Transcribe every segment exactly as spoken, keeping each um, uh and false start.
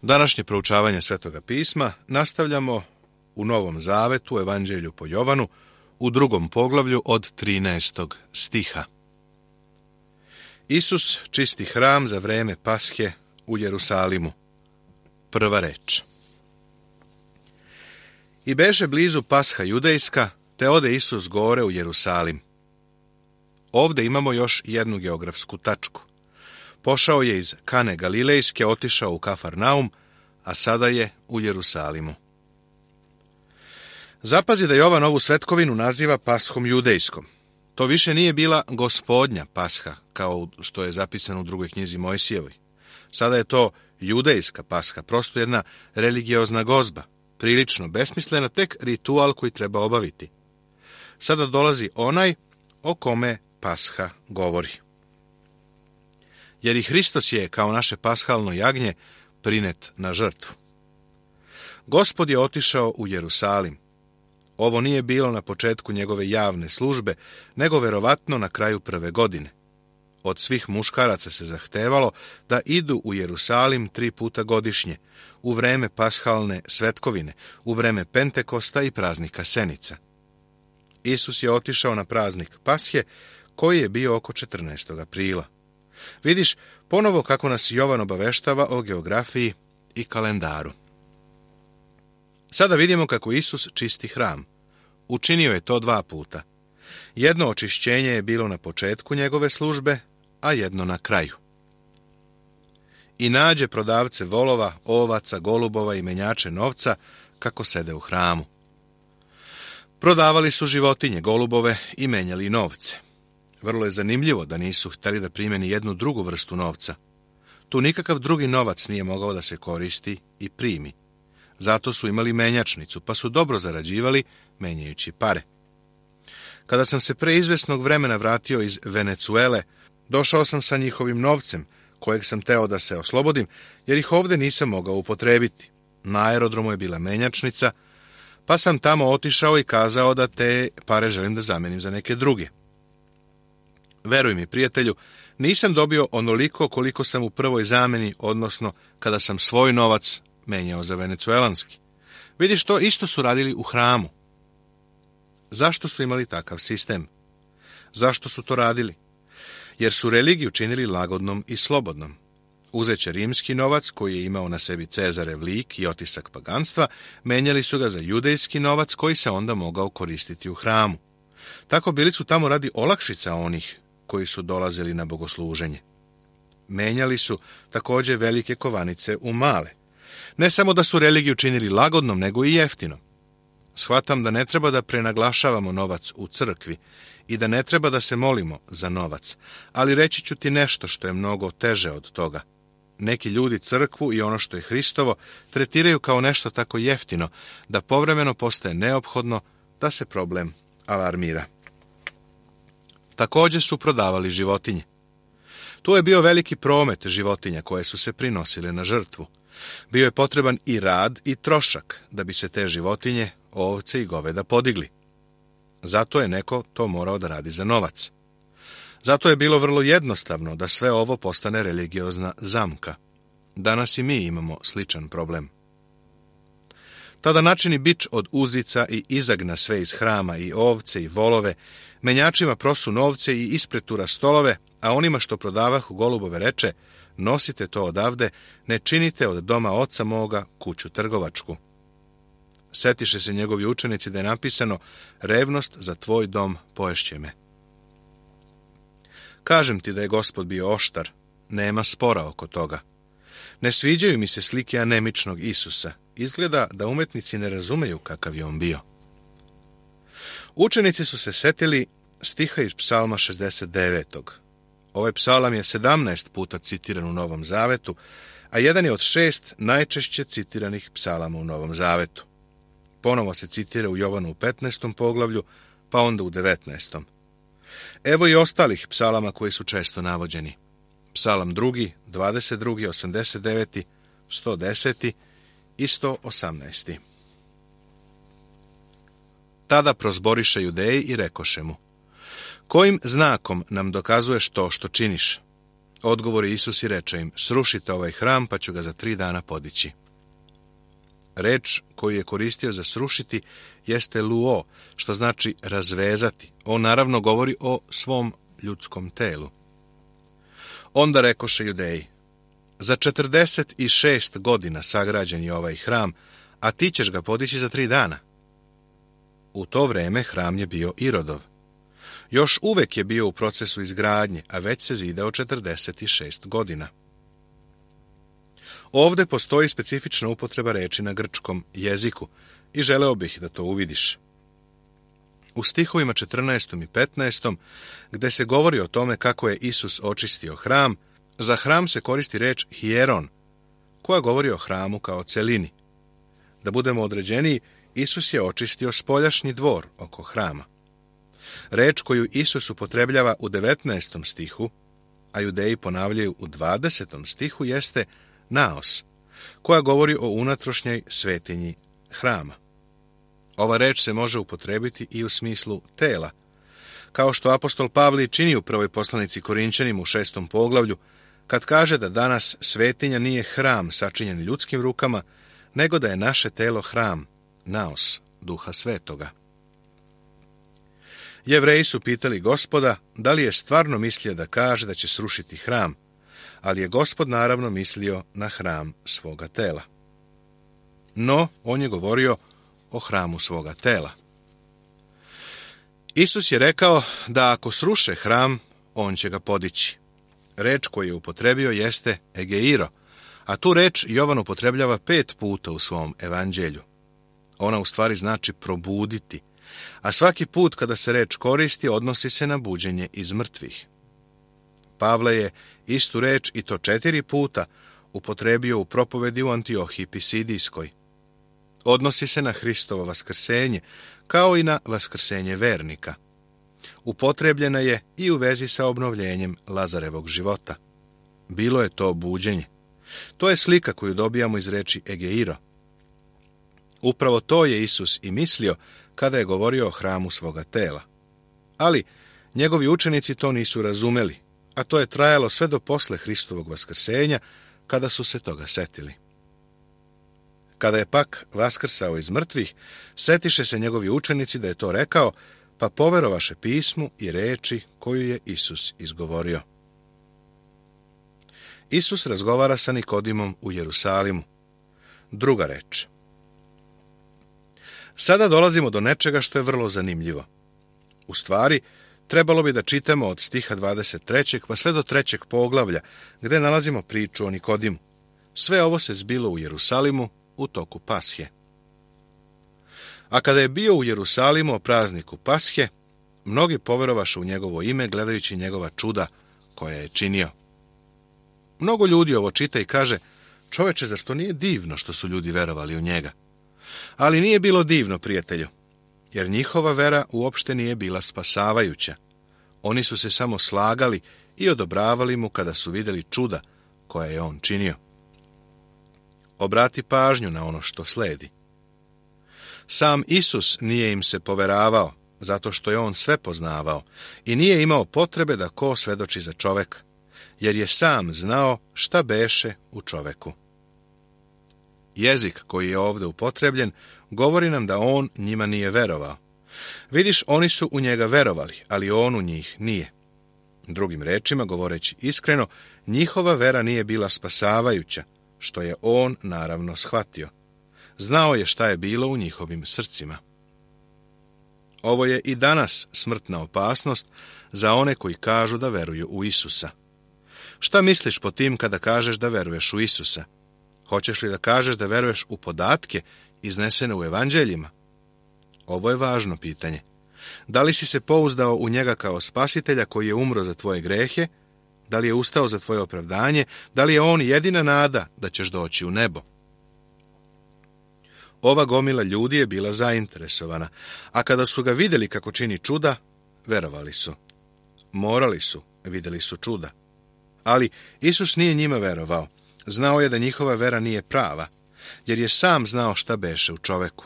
Današnje proučavanje Svetoga pisma nastavljamo u Novom Zavetu, Evanđelju po Jovanu, u drugom poglavlju od trinaestog stiha. Isus čisti hram za vreme Pashe u Jerusalimu. Prva reč. I beše blizu Pasha judejska, te ode Isus gore u Jerusalim. Ovde imamo još jednu geografsku tačku. Pošao je iz Kane Galilejske, otišao u Kafarnaum, a sada je u Jerusalimu. Zapazi da Jovan ovu svetkovinu naziva Pashom judejskom. To više nije bila gospodnja Pasha, kao što je zapisano u drugoj knjizi Mojsijevoj. Sada je to judejska Pasha, prosto jedna religiozna gozba, prilično besmislena, tek ritual koji treba obaviti. Sada dolazi onaj o kome Pasha govori. Jer i Hristos je, kao naše pashalno jagnje, prinet na žrtvu. Gospod je otišao u Jerusalim. Ovo nije bilo na početku njegove javne službe, nego verovatno na kraju prve godine. Od svih muškaraca se zahtevalo da idu u Jerusalim tri puta godišnje, u vreme pashalne svetkovine, u vreme Pentekosta i praznika Senica. Isus je otišao na praznik Pashe, koji je bio oko četrnaestog aprila. Vidiš ponovo kako nas Jovan obaveštava o geografiji i kalendaru. Sada vidimo kako Isus čisti hram. Učinio je to dva puta. Jedno očišćenje je bilo na početku njegove službe, a jedno na kraju. I nađe prodavce volova, ovaca, golubova i menjače novca kako sede u hramu. Prodavali su životinje, golubove i menjali novce. Vrlo je zanimljivo da nisu htjeli da primeni jednu drugu vrstu novca. Tu nikakav drugi novac nije mogao da se koristi i primi. Zato su imali menjačnicu, pa su dobro zarađivali menjajući pare. Kada sam se pre izvesnog vremena vratio iz Venecuele, došao sam sa njihovim novcem, kojeg sam teo da se oslobodim, jer ih ovde nisam mogao upotrebiti. Na aerodromu je bila menjačnica, pa sam tamo otišao i kazao da te pare želim da zamenim za neke druge. Veruj mi, prijatelju, nisam dobio onoliko koliko sam u prvoj zameni, odnosno kada sam svoj novac menjao za venecuelanski. Vidiš, to isto su radili u hramu. Zašto su imali takav sistem? Zašto su to radili? Jer su religiju činili lagodnom i slobodnom. Uzeće rimski novac, koji je imao na sebi Cezarev lik i otisak paganstva, menjali su ga za judejski novac, koji se onda mogao koristiti u hramu. Tako bili su tamo radi olakšica onih koji su dolazili na bogosluženje. Menjali su također velike kovanice u male. Ne samo da su religiju činili lagodnom, nego i jeftinom. Shvatam da ne treba da prenaglašavamo novac u crkvi i da ne treba da se molimo za novac, ali reći ću ti nešto što je mnogo teže od toga. Neki ljudi crkvu i ono što je Hristovo tretiraju kao nešto tako jeftino da povremeno postaje neophodno da se problem alarmira. Također su prodavali životinje. Tu je bio veliki promet životinja koje su se prinosile na žrtvu. Bio je potreban i rad i trošak da bi se te životinje, ovce i goveda podigli. Zato je neko to morao da radi za novac. Zato je bilo vrlo jednostavno da sve ovo postane religiozna zamka. Danas i mi imamo sličan problem. Tada načini bič od uzica i izagna sve iz hrama i ovce i volove, menjačima prosu novce i ispretura stolove, a onima što prodavahu golubove reče, nosite to odavde, ne činite od doma oca moga kuću trgovačku. Setiše se njegovi učenici da je napisano, revnost za tvoj dom poješće me. Kažem ti da je Gospod bio oštar, nema spora oko toga. Ne sviđaju mi se slike anemičnog Isusa, izgleda da umetnici ne razumeju kakav je on bio. Učenici su se setili stiha iz Psalma šezdeset devetog. Ovaj psalam je sedamnaest puta citiran u Novom Zavetu, a jedan je od šest najčešće citiranih psalama u Novom Zavetu. Ponovo se citira u Jovanu u petnaestom poglavlju, pa onda u devetnaestom. Evo i ostalih psalama koji su često navođeni. Psalam drugi, dvadeset drugi, osamdeset deveti, sto deseti i sto osamnaesti. Tada prozboriše Judeji i rekoše mu, kojim znakom nam dokazuješ to što činiš? Odgovori Isus i reče im, srušite ovaj hram, pa ću ga za tri dana podići. Reč koju je koristio za srušiti jeste luo, što znači razvezati. On naravno govori o svom ljudskom telu. Onda rekoše Judeji, za četrdeset šest godina sagrađen je ovaj hram, a ti ćeš ga podići za tri dana. U to vreme hram je bio Irodov. Još uvek je bio u procesu izgradnje, a već se zidao četrdeset šest godina. Ovde postoji specifična upotreba reči na grčkom jeziku i želeo bih da to uvidiš. U stihovima četrnaestom i petnaestom, gde se govori o tome kako je Isus očistio hram, za hram se koristi reč hieron, koja govori o hramu kao celini. Da budemo određeniji, Isus je očistio spoljašnji dvor oko hrama. Reč koju Isus upotrebljava u devetnaestom stihu, a Judeji ponavljaju u dvadesetom stihu, jeste naos, koja govori o unutrašnjoj svetinji hrama. Ova reč se može upotrebiti i u smislu tela, kao što apostol Pavle čini u prvoj poslanici Korinćanima u šestom poglavlju, kad kaže da danas svetinja nije hram sačinjen ljudskim rukama, nego da je naše telo hram, naos, Duha Svetoga. Jevreji su pitali Gospoda da li je stvarno mislio da kaže da će srušiti hram, ali je Gospod naravno mislio na hram svoga tela. No, on je govorio o hramu svoga tela. Isus je rekao da ako sruše hram, on će ga podići. Reč koju je upotrebio jeste egeiro, a tu reč Jovan upotrebljava pet puta u svom evanđelju. Ona u stvari znači probuditi, a svaki put kada se reč koristi odnosi se na buđenje iz mrtvih. Pavle je istu reč i to četiri puta upotrebio u propovedi u Antiohiji Pisidijskoj. Odnosi se na Hristovo vaskrsenje, kao i na vaskrsenje vernika. Upotrebljena je i u vezi sa obnovljenjem Lazarevog života. Bilo je to buđenje. To je slika koju dobijamo iz reči egeiro. Upravo to je Isus i mislio kada je govorio o hramu svoga tela. Ali njegovi učenici to nisu razumeli, a to je trajalo sve do posle Hristovog vaskrsenja, kada su se toga setili. Kada je pak vaskrsao iz mrtvih, setiše se njegovi učenici da je to rekao, pa poverovaše pismu i reči koju je Isus izgovorio. Isus razgovara sa Nikodimom u Jerusalimu. Druga reč. Sada dolazimo do nečega što je vrlo zanimljivo. U stvari, trebalo bi da čitamo od stiha dvadeset trećeg pa sve do trećeg poglavlja, gde nalazimo priču o Nikodimu. Sve ovo se zbilo u Jerusalimu u toku Pashe. A kada je bio u Jerusalimu o prazniku Pashe, mnogi poverovaše u njegovo ime gledajući njegova čuda koja je činio. Mnogo ljudi ovo čita i kaže, čoveče, zar to nije divno što su ljudi verovali u njega? Ali nije bilo divno, prijatelju, jer njihova vera uopšte nije bila spasavajuća. Oni su se samo slagali i odobravali mu kada su vidjeli čuda koja je on činio. Obrati pažnju na ono što sledi. Sam Isus nije im se poveravao, zato što je on sve poznavao i nije imao potrebe da ko svedoči za čoveka, jer je sam znao šta beše u čoveku. Jezik koji je ovdje upotrebljen govori nam da on njima nije verovao. Vidiš, oni su u njega verovali, ali on u njih nije. Drugim rečima, govoreći iskreno, njihova vera nije bila spasavajuća, što je on naravno shvatio. Znao je šta je bilo u njihovim srcima. Ovo je i danas smrtna opasnost za one koji kažu da veruju u Isusa. Šta misliš po tim kada kažeš da veruješ u Isusa? Hoćeš li da kažeš da veruješ u podatke iznesene u evanđeljima? Ovo je važno pitanje. Da li si se pouzdao u njega kao spasitelja koji je umro za tvoje grehe? Da li je ustao za tvoje opravdanje? Da li je on jedina nada da ćeš doći u nebo? Ova gomila ljudi je bila zainteresovana, a kada su ga vidjeli kako čini čuda, verovali su. Morali su, vidjeli su čuda. Ali Isus nije njima verovao. Znao je da njihova vera nije prava, jer je sam znao šta beše u čoveku.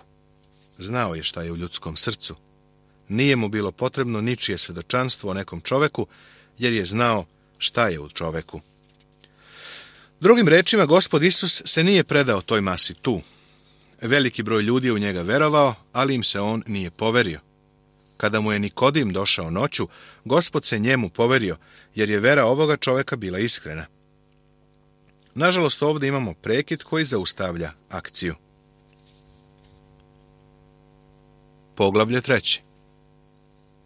Znao je šta je u ljudskom srcu. Nije mu bilo potrebno ničije svedočanstvo o nekom čoveku, jer je znao šta je u čoveku. Drugim rečima, Gospod Isus se nije predao toj masi tu. Veliki broj ljudi je u njega verovao, ali im se on nije poverio. Kada mu je Nikodim došao noću, Gospod se njemu poverio, jer je vera ovoga čoveka bila iskrena. Nažalost, ovdje imamo prekid koji zaustavlja akciju. Poglavlje treće.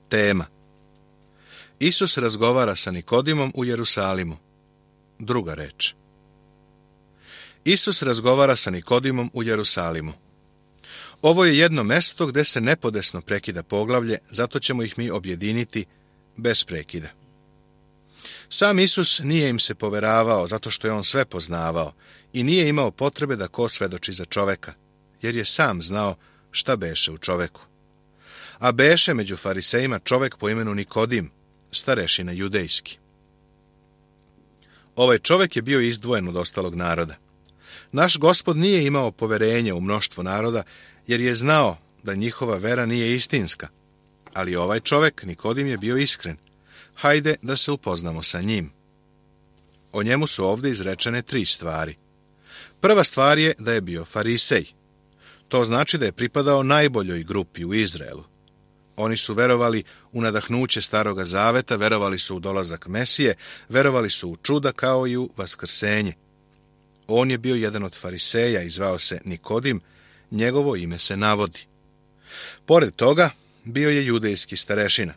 Tema. Isus razgovara sa Nikodimom u Jerusalimu. Druga reč. Isus razgovara sa Nikodimom u Jerusalimu. Ovo je jedno mesto gdje se nepodesno prekida poglavlje, zato ćemo ih mi objediniti bez prekida. Sam Isus nije im se poveravao zato što je on sve poznavao i nije imao potrebe da ko svedoči za čoveka, jer je sam znao šta beše u čoveku. A beše među farisejima čovek po imenu Nikodim, starešina judejski. Ovaj čovek je bio izdvojen od ostalog naroda. Naš Gospod nije imao poverenje u mnoštvo naroda, jer je znao da njihova vera nije istinska. Ali ovaj čovek, Nikodim, je bio iskren. Hajde da se upoznamo sa njim. O njemu su ovdje izrečene tri stvari. Prva stvar je da je bio farisej. To znači da je pripadao najboljoj grupi u Izraelu. Oni su verovali u nadahnuće Staroga Zaveta, verovali su u dolazak Mesije, verovali su u čuda kao i u vaskrsenje. On je bio jedan od fariseja i zvao se Nikodim, njegovo ime se navodi. Pored toga, bio je judejski starešina.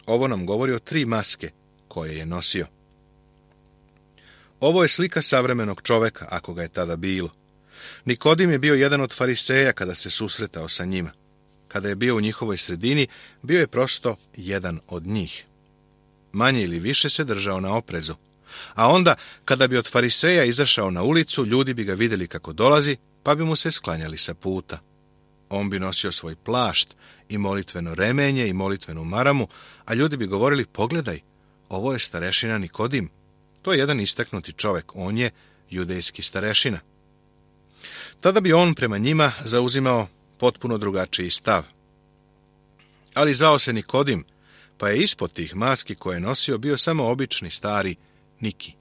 Ovo nam govori o tri maske koje je nosio. Ovo je slika savremenog čoveka, ako ga je tada bilo. Nikodim je bio jedan od fariseja kada se susretao sa njima. Kada je bio u njihovoj sredini, bio je prosto jedan od njih. Manje ili više se držao na oprezu. A onda, kada bi od fariseja izašao na ulicu, ljudi bi ga vidjeli kako dolazi, pa bi mu se sklanjali sa puta. On bi nosio svoj plašt i molitveno remenje i molitvenu maramu, a ljudi bi govorili, pogledaj, ovo je starešina Nikodim. To je jedan istaknuti čovek, on je judejski starešina. Tada bi on prema njima zauzimao potpuno drugačiji stav. Ali zvao se Nikodim, pa je ispod tih maski koje je nosio bio samo obični stari Niki.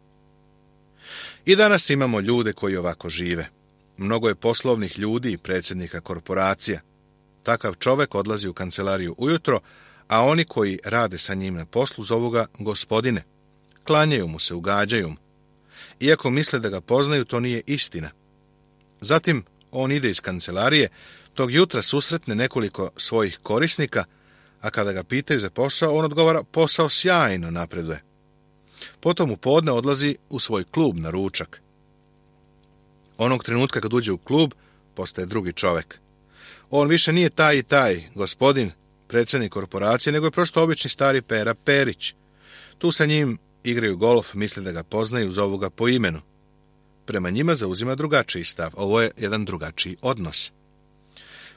I danas imamo ljude koji ovako žive. Mnogo je poslovnih ljudi i predsjednika korporacija. Takav čovek odlazi u kancelariju ujutro, a oni koji rade sa njim na poslu zovu ga gospodine. Klanjaju mu se, ugađaju mu. Iako misle da ga poznaju, to nije istina. Zatim on ide iz kancelarije, tog jutra susretne nekoliko svojih korisnika, a kada ga pitaju za posao, on odgovara, posao sjajno napreduje. Potom u podne odlazi u svoj klub na ručak. Onog trenutka kad uđe u klub, postaje drugi čovek. On više nije taj i taj gospodin, predsjednik korporacije, nego je prosto obični stari Pera Perić. Tu sa njim igraju golf, misle da ga poznaju, zovu ga po imenu. Prema njima zauzima drugačiji stav. Ovo je jedan drugačiji odnos.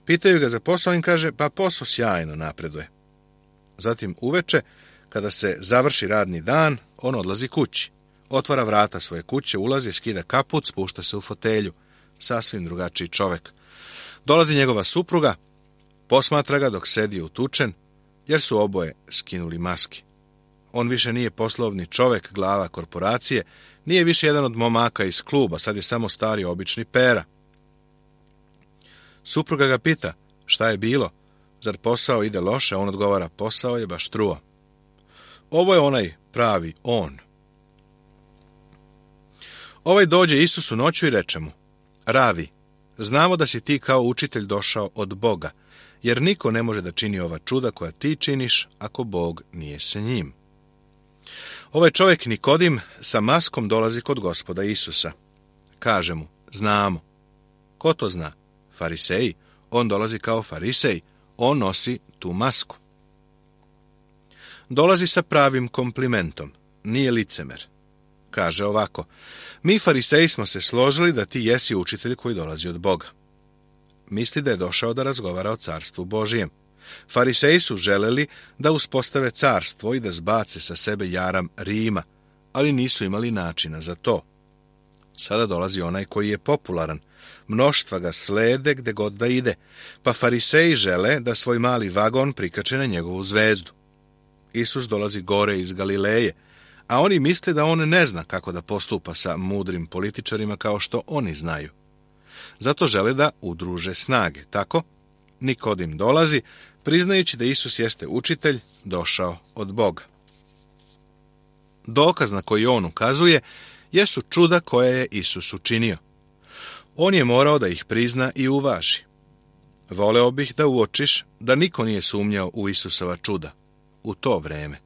Pitaju ga za posao, on kaže, pa posao sjajno napreduje. Zatim uveče, kada se završi radni dan, on odlazi kući. Otvara vrata svoje kuće, ulazi, skida kaput, spušta se u fotelju. Sasvim drugačiji čovek. Dolazi njegova supruga, posmatra ga dok sedi utučen, jer su oboje skinuli maski. On više nije poslovni čovek, glava korporacije, nije više jedan od momaka iz kluba, sad je samo stari obični Pera. Supruga ga pita, šta je bilo? Zar posao ide loše? On odgovara, posao je baš truo. Ovo je onaj pravi on. Ovaj dođe Isusu noću i reče mu, Ravi, znamo da si ti kao učitelj došao od Boga, jer niko ne može da čini ova čuda koja ti činiš ako Bog nije sa njim. Ovaj čovjek Nikodim sa maskom dolazi kod Gospoda Isusa. Kaže mu, znamo. Ko to zna? Fariseji. On dolazi kao farisej. On nosi tu masku. Dolazi sa pravim komplimentom. Nije licemer. Kaže ovako, mi fariseji smo se složili da ti jesi učitelj koji dolazi od Boga. Misli da je došao da razgovara o carstvu Božijem. Fariseji su želeli da uspostave carstvo i da zbace sa sebe jaram Rima, ali nisu imali načina za to. Sada dolazi onaj koji je popularan. Mnoštva ga slede gde god da ide, pa fariseji žele da svoj mali vagon prikače na njegovu zvezdu. Isus dolazi gore iz Galileje, a oni misle da on ne zna kako da postupa sa mudrim političarima kao što oni znaju. Zato žele da udruže snage. Tako, Nikodim dolazi, priznajući da Isus jeste učitelj, došao od Boga. Dokaz na koji on ukazuje jesu čuda koje je Isus učinio. On je morao da ih prizna i uvaži. Voleo bih da uočiš da niko nije sumnjao u Isusova čuda u to vreme.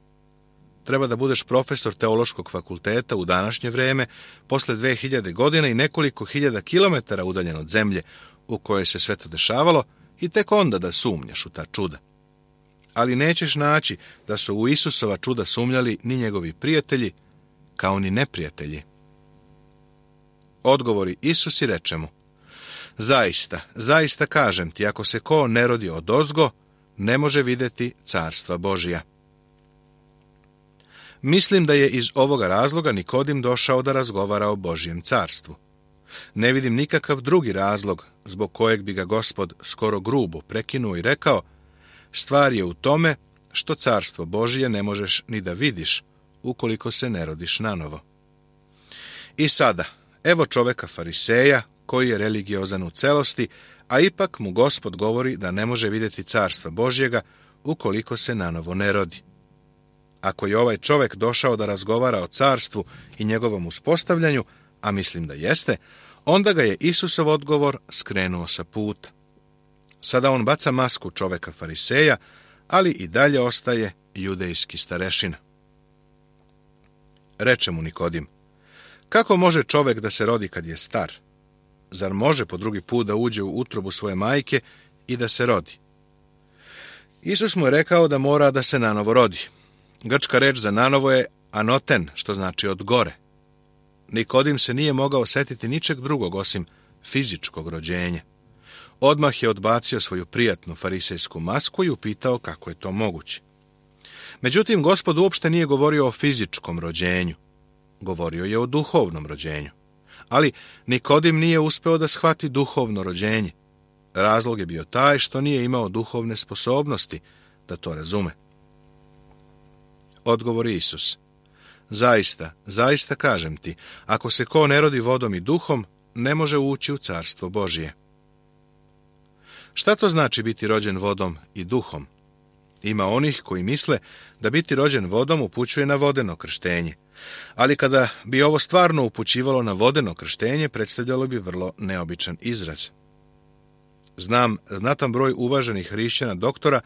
Treba da budeš profesor teološkog fakulteta u današnje vreme, posle dve hiljade godina i nekoliko hiljada kilometara udaljen od zemlje u kojoj se sve to dešavalo, i tek onda da sumnjaš u ta čuda. Ali nećeš naći da su u Isusova čuda sumnjali ni njegovi prijatelji, kao ni neprijatelji. Odgovori Isus i reče mu: zaista, zaista kažem ti, ako se ko ne rodi odozgo, ne može vidjeti carstva Božija. Mislim da je iz ovoga razloga Nikodim došao da razgovara o Božjem carstvu. Ne vidim nikakav drugi razlog zbog kojeg bi ga Gospod skoro grubo prekinuo i rekao: stvar je u tome što carstvo Božije ne možeš ni da vidiš ukoliko se ne rodiš nanovo. I sada, evo čoveka fariseja koji je religiozan u celosti, a ipak mu Gospod govori da ne može vidjeti carstva Božjega ukoliko se nanovo ne rodi. Ako je ovaj čovek došao da razgovara o carstvu i njegovom uspostavljanju, a mislim da jeste, onda ga je Isusov odgovor skrenuo sa puta. Sada on baca masku čoveka fariseja, ali i dalje ostaje judejski starešina. Reče mu Nikodim: kako može čovek da se rodi kad je star? Zar može po drugi put da uđe u utrobu svoje majke i da se rodi? Isus mu je rekao da mora da se nanovo rodi. Grčka reč za nanovo je anoten, što znači od gore. Nikodim se nije mogao setiti ničeg drugog osim fizičkog rođenja. Odmah je odbacio svoju prijatnu farisejsku masku i upitao kako je to moguće. Međutim, Gospod uopšte nije govorio o fizičkom rođenju. Govorio je o duhovnom rođenju. Ali Nikodim nije uspeo da shvati duhovno rođenje. Razlog je bio taj što nije imao duhovne sposobnosti da to razume. Odgovori Isus: zaista, zaista kažem ti, ako se ko ne rodi vodom i duhom, ne može ući u carstvo Božije. Šta to znači biti rođen vodom i duhom? Ima onih koji misle da biti rođen vodom upućuje na vodeno krštenje, ali kada bi ovo stvarno upućivalo na vodeno krštenje, predstavljalo bi vrlo neobičan izraz. Znam znatan broj uvaženih hrišćana doktora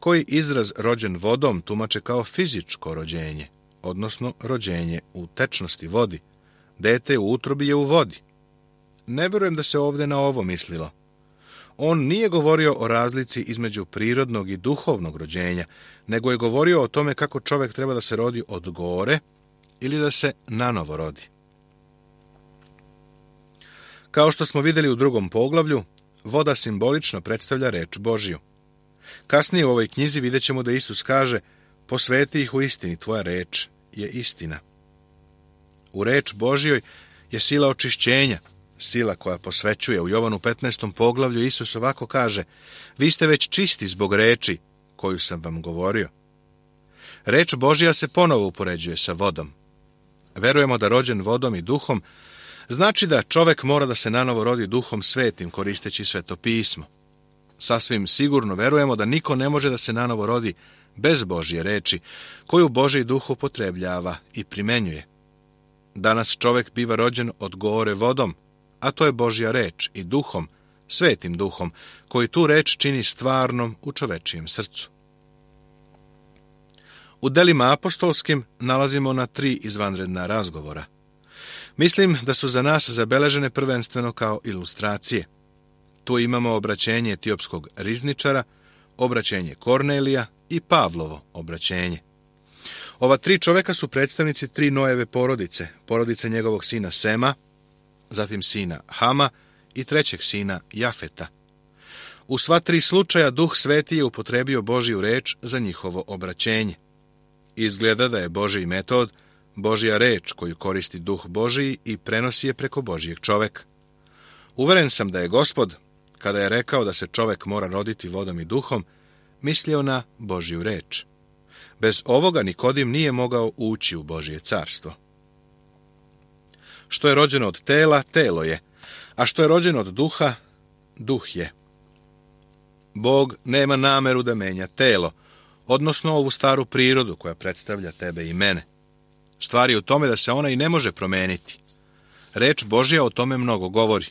koji izraz rođen vodom tumače kao fizičko rođenje, odnosno rođenje u tečnosti vodi. Dete u utrobi je u vodi. Ne vjerujem da se ovdje na ovo mislilo. On nije govorio o razlici između prirodnog i duhovnog rođenja, nego je govorio o tome kako čovjek treba da se rodi od gore ili da se nanovo rodi. Kao što smo vidjeli u drugom poglavlju, voda simbolično predstavlja reč Božju. Kasnije u ovoj knjizi vidjet ćemo da Isus kaže: posveti ih u istini, tvoja reč je istina. U reč Božjoj je sila očišćenja, sila koja posvećuje. U Jovanu petnaestom poglavlju Isus ovako kaže: vi ste već čisti zbog reči koju sam vam govorio. Reč Božja se ponovo upoređuje sa vodom. Verujemo da rođen vodom i duhom znači da čovek mora da se nanovo rodi duhom svetim koristeći Sveto pismo. Sasvim sigurno verujemo da niko ne može da se nanovo rodi bez Božje reči, koju Božji duh upotrebljava i primenjuje. Danas čovek biva rođen od gore vodom, a to je Božja reč, i duhom, svetim duhom, koji tu reč čini stvarnom u čovečijem srcu. U delima apostolskim nalazimo na tri izvanredna razgovora. Mislim da su za nas zabeležene prvenstveno kao ilustracije. Tu imamo obraćenje etiopskog rizničara, obraćenje Kornelija i Pavlovo obraćenje. Ova tri čoveka su predstavnici tri Noeve porodice, porodice njegovog sina Sema, zatim sina Hama i trećeg sina Jafeta. U sva tri slučaja Duh Sveti je upotrebio Božju reč za njihovo obraćenje. Izgleda da je Božji metod Božja reč koju koristi Duh Božji i prenosi je preko Božjeg čoveka. Uveren sam da je Gospod, kada je rekao da se čovek mora roditi vodom i duhom, mislio na Božju reč. Bez ovoga Nikodim nije mogao ući u Božje carstvo. Što je rođeno od tela, telo je, a što je rođeno od duha, duh je. Bog nema nameru da menja telo, odnosno ovu staru prirodu koja predstavlja tebe i mene. Stvar je u tome da se ona i ne može promeniti. Reč Božja o tome mnogo govori.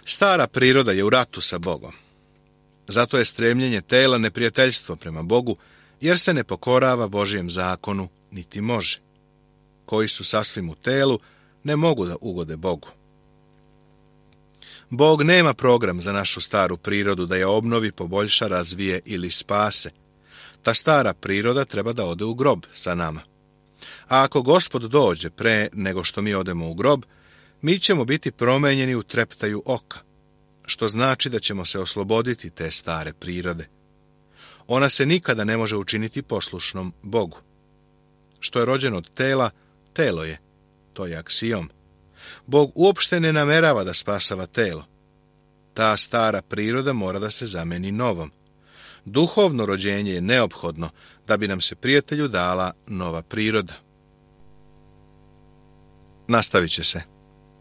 Stara priroda je u ratu sa Bogom. Zato je stremljenje tela neprijateljstvo prema Bogu, jer se ne pokorava Božjem zakonu, niti može. Koji su sasvim u telu, ne mogu da ugode Bogu. Bog nema program za našu staru prirodu da je obnovi, poboljša, razvije ili spase. Ta stara priroda treba da ode u grob sa nama. A ako Gospod dođe pre nego što mi odemo u grob, mi ćemo biti promenjeni u treptaju oka, što znači da ćemo se osloboditi te stare prirode. Ona se nikada ne može učiniti poslušnom Bogu. Što je rođeno od tela, telo je. To je aksiom. Bog uopšte ne namerava da spasava telo. Ta stara priroda mora da se zameni novom. Duhovno rođenje je neophodno da bi nam se, prijatelju, dala nova priroda. Nastavit će se.